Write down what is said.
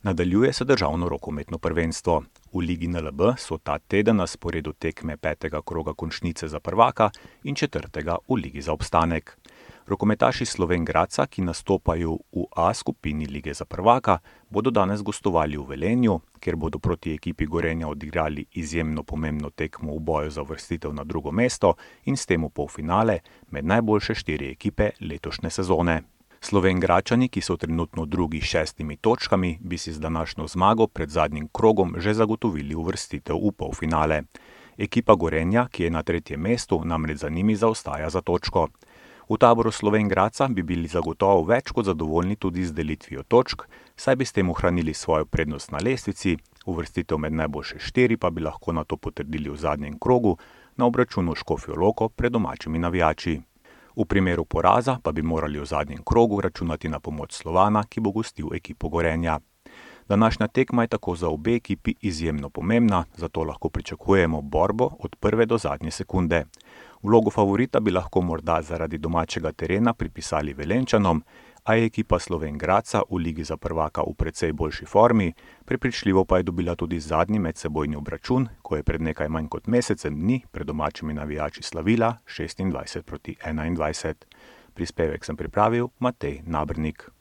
Nadaljuje se državno rokometno prvenstvo. V Ligi NLB so ta teden na sporedu tekme 5. kroga končnice za prvaka in 4. v Ligi za obstanek. Rokometaši Slovenj Gradca, ki nastopajo v A skupini Lige za prvaka, bodo danes gostovali v Velenju, kjer bodo proti ekipi Gorenja odigrali izjemno pomembno tekmo v boju za uvrstitev na drugo mesto in s tem v polfinale med najboljše 4 ekipe letošnje sezone. Slovenj Gradčani, ki so trenutno drugi s 6 točkami, bi si z današnjo zmago pred zadnjim krogom že zagotovili uvrstitev v polfinale. Ekipa Gorenja, ki je na 3. mestu, namreč za njimi zaostaja za točko. V taboru Slovenj Gradca bi bili zagotovo več kot zadovoljni tudi z delitvijo točk, saj bi s tem ohranili svojo prednost na lestvici, uvrstitev med najboljše 4 pa bi lahko nato potrdili v zadnjem krogu na obračunu Škofjo Loko pred domačimi navijači. V primeru poraza pa bi morali v zadnjem krogu računati na pomoč Slovana, ki bo gostil ekipo Gorenja. Današnja tekma je tako za obe ekipi izjemno pomembna, zato lahko pričakujemo borbo od prve do zadnje sekunde. Vlogo favorita bi lahko morda zaradi domačega terena pripisali Velenjčanom, a je ekipa Slovenj Gradca v Ligi za prvaka v precej boljši formi, prepričljivo pa je dobila tudi zadnji medsebojni obračun, ko je pred nekaj manj kot mesecem dni pred domačimi navijači slavila 26-21. Prispevek sem pripravil Matej Nabernik.